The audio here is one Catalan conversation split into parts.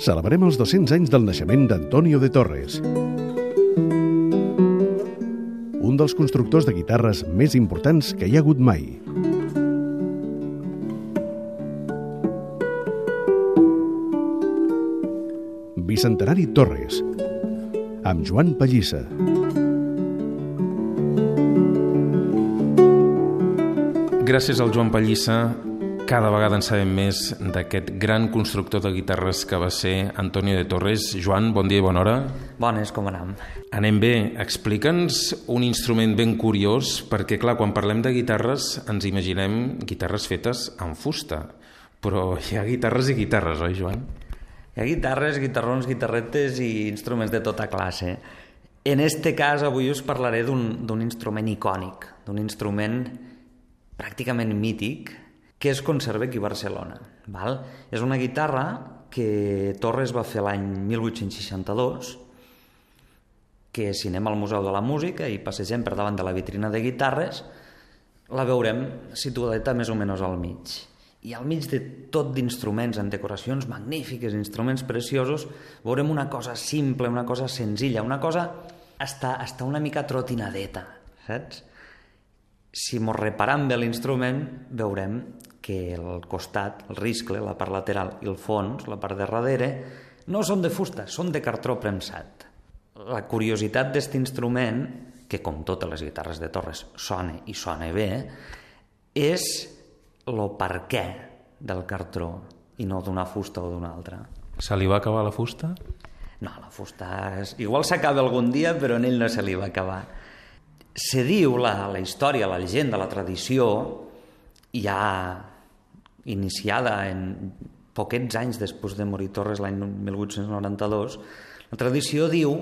Celebrem els 200 anys del naixement d'Antonio de Torres, un dels constructors de guitarres més importants que hi ha hagut mai. Bicentenari Torres, amb Joan Pallissa. Gràcies al Joan Pallissa, cada vegada en sabem més d'aquest gran constructor de guitarres que va ser Antonio de Torres. Joan, bon dia i bona hora. Bones, com anem? Anem bé. Explica'ns un instrument ben curiós, perquè, clar, quan parlem de guitarres ens imaginem guitarres fetes en fusta, però hi ha guitarres i guitarres, oi, Joan? Hi ha guitarres, guitarrons, guitarretes i instruments de tota classe. En este cas, avui us parlaré d'un instrument icònic, d'un instrument pràcticament mític, que es conserva aquí a Barcelona. Val? És una guitarra que Torres va fer l'any 1862, que si anem al Museu de la Música i passegem per davant de la vitrina de guitarres, la veurem situadeta més o menys al mig. I al mig de tot d'instruments en decoracions magnífiques, instruments preciosos, veurem una cosa simple, una cosa senzilla, una cosa hasta una mica trotinadeta, saps? Si mos reparam bé l'instrument, veurem que el costat, el riscle, la part lateral i el fons, la part de darrere, no són de fusta, són de cartró premsat. La curiositat d'aquest instrument, que com totes les guitarres de Torres sona i sona bé, és el perquè del cartró i no d'una fusta o d'una altra. Se li va acabar la fusta? No, la fusta igual s'acaba algun dia, però en ell no se li va acabar. Se diu la història, la llegenda, la tradició, ja iniciada en poquets anys després de morir Torres l'any 1892, la tradició diu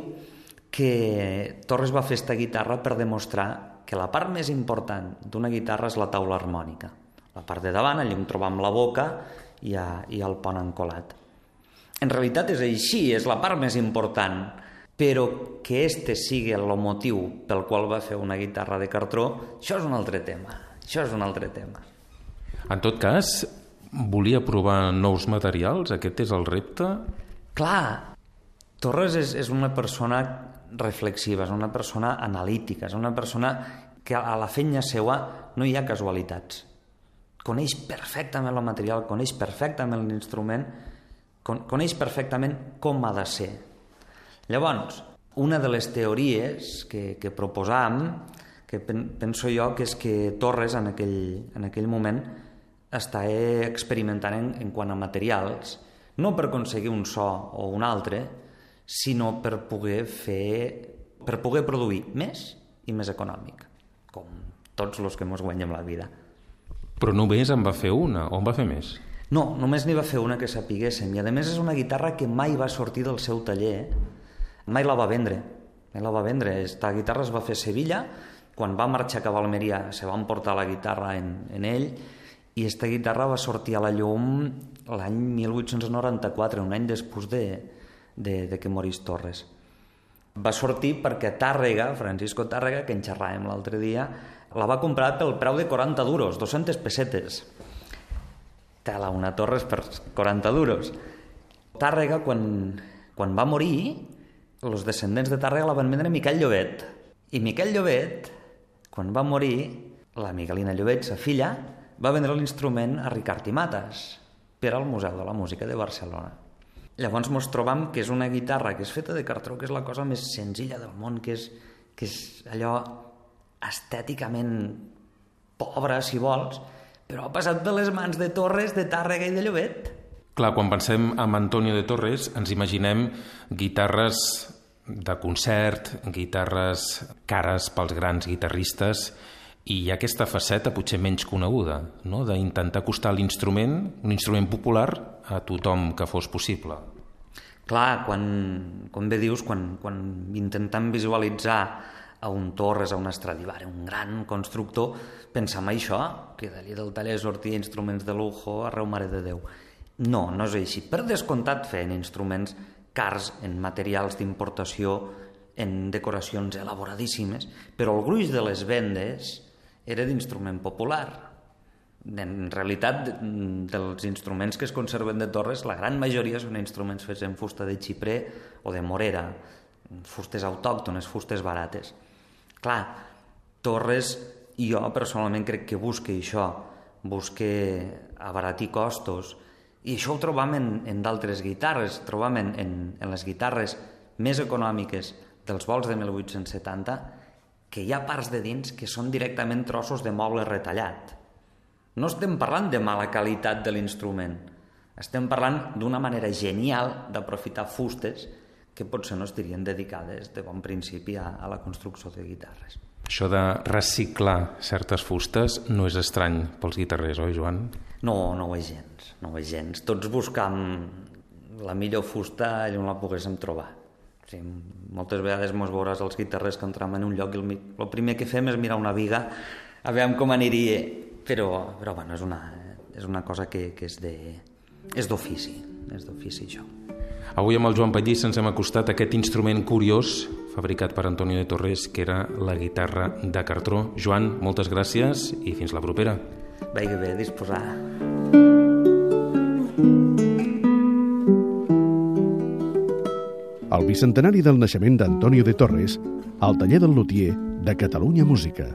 que Torres va fer aquesta guitarra per demostrar que la part més important d'una guitarra és la taula harmònica. La part de davant, allà on trobam la boca i el pont encolat. En realitat és així, és la part més important, però que este sigui el motiu pel qual va fer una guitarra de cartró, això és un altre tema. En tot cas, volia provar nous materials? Aquest és el repte? Clar, Torres és una persona reflexiva, és una persona analítica, és una persona que a la feina seua no hi ha casualitats. Coneix perfectament el material, coneix perfectament l'instrument, coneix perfectament com ha de ser. Llavors, una de les teories que proposam, que penso jo que és que Torres en aquell moment està experimentant en quant a materials, no per aconseguir un so o un altre, sinó per poder produir més i més econòmic, com tots els que ens guanyem la vida. Però només en va fer una, o en va fer més? No, només n'hi va fer una que sapiguéssim, i a més és una guitarra que mai va sortir del seu taller, mai la va vendre. Esta guitarra es va fer a Sevilla, quan va marxar cap a Almeria se van portar la guitarra en ell, i esta guitarra va sortir a la llum l'any 1894, un any després de que morís Torres. Va sortir perquè Tàrrega, Francisco Tàrrega, que en xerràvem l'altre dia, la va comprar pel preu de 40 duros, 200 pessetes. Tela, una Torres per 40 duros. Tàrrega, quan va morir, els descendents de Tàrrega la van vendre a Miquel Llobet. I Miquel Llobet, quan va morir, la Miguelina Llobet, sa filla, va vendre l'instrument a Ricard i Matas per al Museu de la Música de Barcelona. Llavors ens trobam que és una guitarra que és feta de cartró, que és la cosa més senzilla del món, que és allò estèticament pobra, si vols, però ha passat per les mans de Torres, de Tàrrega i de Llobet. Clar, quan pensem en Antonio de Torres ens imaginem guitarres de concert, guitarres cares pels grans guitarristes, i hi ha aquesta faceta potser menys coneguda, no? D'intentar acostar l'instrument, un instrument popular, a tothom que fos possible. Clar, com bé dius, quan intentem visualitzar a un Torres, a un Stradivari, un gran constructor, pensem això, que d'allí del taller sortia instruments de lujo, arreu mare de Déu. No, no és així. Per descomptat feien instruments cars en materials d'importació, en decoracions elaboradíssimes, però el gruix de les vendes era d'instrument popular. En realitat, dels instruments que es conserven de Torres, la gran majoria són instruments fets en fusta de xiprer o de morera, fustes autòctones, fustes barates. Clar, Torres, i jo personalment crec que busca això, busca abaratir costos, i això ho trobam en d'altres guitarres, trobam en les guitarres més econòmiques dels vols de 1870, que hi ha parts de dins que són directament trossos de moble retallat. No estem parlant de mala qualitat de l'instrument, estem parlant d'una manera genial d'aprofitar fustes que potser no estarien dedicades de bon principi a la construcció de guitarres. Això de reciclar certes fustes no és estrany pels guitarrers, oi, Joan? No ho és gens. Tots buscam la millor fusta allà on la poguéssim trobar. O sigui, moltes vegades mos veuràs els guitarrers que entrem en un lloc i el primer que fem és mirar una viga a veure com aniria, però bueno, és una cosa que és d'ofici, això. Avui amb el Joan Pallís ens hem acostat a aquest instrument curiós fabricat per Antonio de Torres, que era la guitarra de cartró. Joan, moltes gràcies i fins la propera. Bé, disposar. El bicentenari del naixement d'Antonio de Torres al taller del lutier de Catalunya Música.